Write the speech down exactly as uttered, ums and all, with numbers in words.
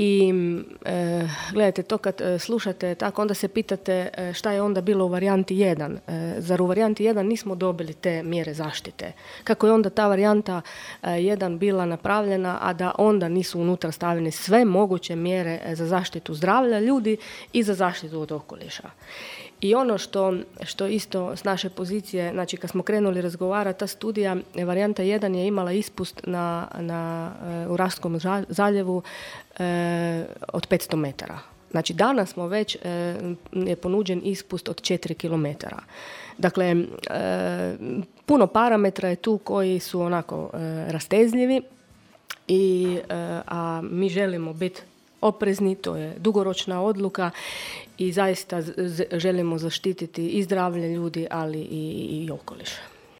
I e, gledajte, to kad e, slušate tako, onda se pitate e, šta je onda bilo u varijanti jedan. E, zar u varijanti jedan nismo dobili te mjere zaštite? Kako je onda ta varijanta e, jedan bila napravljena, a da onda nisu unutra stavljene sve moguće mjere za zaštitu zdravlja ljudi i za zaštitu od okoliša. I ono što, što isto s naše pozicije, znači kad smo krenuli razgovarati, ta studija, varijanta jedan je imala ispust na, na, u Raskom zaljevu e, od petsto metara. Znači danas smo već, e, je ponuđen ispust od četiri kilometara. Dakle, e, puno parametra je tu koji su onako e, rastezljivi, i, e, a mi želimo biti oprezni, to je dugoročna odluka i zaista z- želimo zaštititi i zdravlje ljudi, ali i, i okoliš.